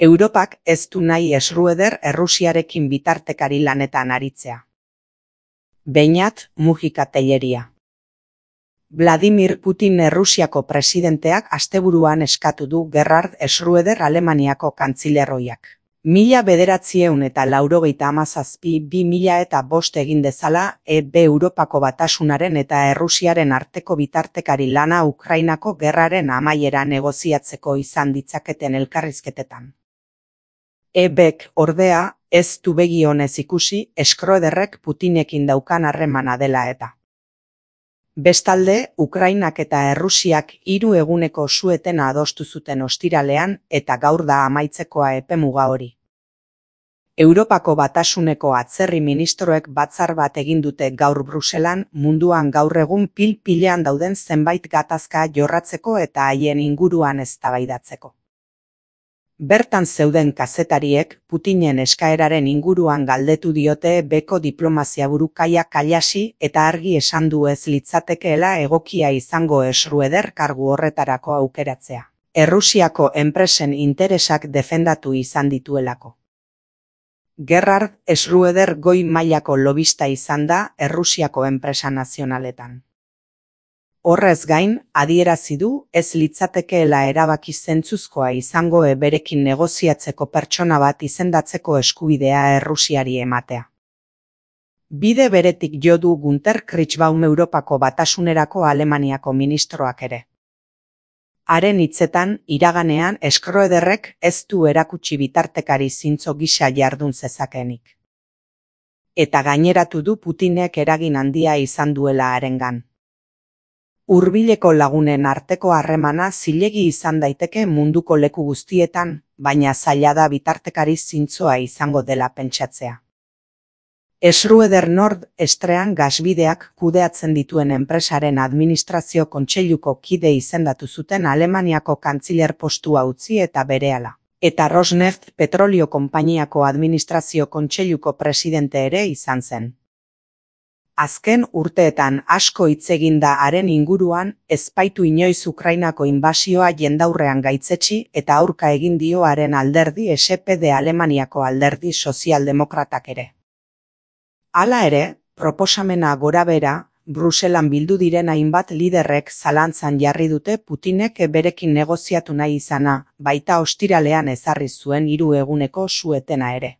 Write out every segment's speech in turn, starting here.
Europak ez du nahi Schröder Errusiarekin bitartekari lanetan aritzea. Beñat Mujika Telleria. Vladimir Putin Errusiako presidenteak asteburuan eskatu du Gerhard Schröder Alemaniako kantzilerroiak. 1997-2005 egin dezala Europako Batasunaren eta Errusiaren arteko bitartekari lana Ukrainako gerraren amaiera negoziatzeko izan ditzaketen elkarrizketetan. EBek, ordea, ez du begi onez ikusi Schröderrek Putinekin daukan harremana dela eta. Bestalde, Ukrainak eta Errusiak 3 eguneko su-etena adostu zuten ostiralean eta gaur da amaitzekoa epemuga hori. Europako Batasuneko atzerri ministroek batzar bat egin dute gaur Bruselan munduan gaur egun pil-pilean dauden zenbait gatazka jorratzeko eta haien inguruan eztabaidatzeko. Bertan zeuden kazetariek Putinen eskaeraren inguruan galdetu diote beko diplomaziaburu Kaja Kallasi eta argi esan du ez litzatekeela egokia izango Schröder kargu horretarako aukeratzea. Errusiako enpresen interesak defendatu izan dituelako. Gerhard Schröder goi mailako lobista izan da Errusiako enpresa nazionaletan. Horrez gain, adierazi du ez litzatekeela erabaki zentzuzkoa izango berekin negoziatzeko pertsona bat izendatzeko eskubidea Errusiari ematea. Bide beretik jo du Günter Kritzbaum Europako Batasunerako Alemaniako ministroak ere. Haren hitzetan, iraganean Schröderrek ez du erakutsi bitartekari zintzo gisa jardun zezakeenik. Eta gaineratu du Putinek eragin handia izan duela harengan. Hurbileko lagunen arteko harremana zilegi izan daiteke munduko leku guztietan, baina zaila da bitartekari zintzoa izango dela pentsatzea. Schröder Nord Stream gasbideak kudeatzen dituen enpresaren administrazio kontseiluko kide izendatu zuten Alemaniako kantziler postua utzi eta berehala. Eta Rosneft petrolio konpainiako administrazio kontseiluko presidente ere izan zen. Azken urteetan asko hitz egin da haren inguruan, ez baitu inoiz Ukrainako inbasioa jendaurrean gaitzetsi eta aurka egin dio haren alderdi SPD Alemaniako alderdi sozialdemokratak ere. Hala ere, proposamena gorabehera, Bruselan bildu diren hainbat liderrek zalantzan jarri dute Putinek berekin negoziatu nahi izana, baita ostiralean ezarri zuen 3 eguneko su-etena ere.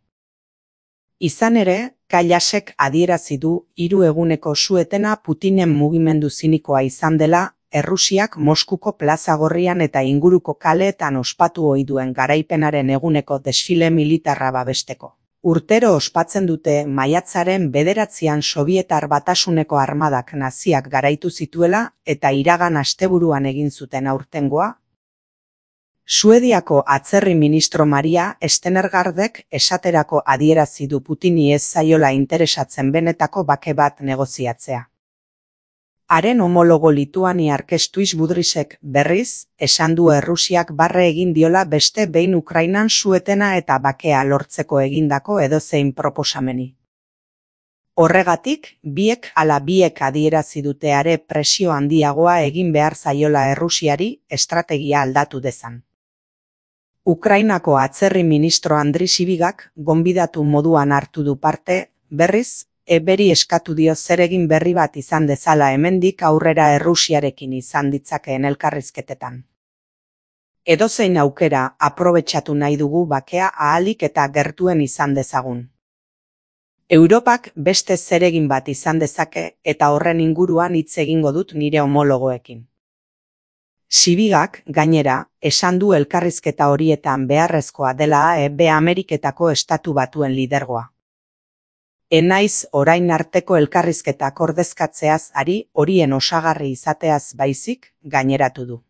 Izan ere, Kallasek adierazi du 3 eguneko su-etena Putinen mugimendu zinikoa izan dela, Errusiak Moskuko Plaza Gorrian eta inguruko kaleetan ospatu ohi duen garaipenaren eguneko desfile militarra babesteko. Urtero ospatzen dute maiatzaren 9an Sobietar Batasuneko armadak naziak garaitu zituela eta iragan asteburuan egin zuten aurtengoa. Suediako atzerri ministro Maria Stenergardek esaterako adierazi du Putini ez zaiola interesatzen benetako bake bat negoziatzea. Haren homologo lituaniar Kestuis Budrysek berriz, esan du Errusiak barre egin diola beste behin Ukrainan su-etena eta bakea lortzeko egindako edozein proposameni. Horregatik, biek adierazi dute are presio handiagoa egin behar zaiola Errusiari estrategia aldatu dezan. Ukrainako atzerri ministro Andri Sibigak gonbidatu moduan hartu du parte, berriz, beri eskatu dio zeregin berri bat izan dezala hemendik aurrera Errusiarekin izan ditzakeen elkarrizketetan. Edozein aukera aprobetxatu nahi dugu bakea ahalik eta gertuen izan dezagun. Europak beste zeregin bat izan dezake eta horren inguruan hitz egingo dut nire homologoekin. Sibigak, gainera, esan du elkarrizketa horietan beharrezkoa dela Ameriketako estatu batuen lidergoa. Enaiz orain arteko elkarrizketak ordezkatzeaz ari horien osagarri izateaz baizik, gaineratu du.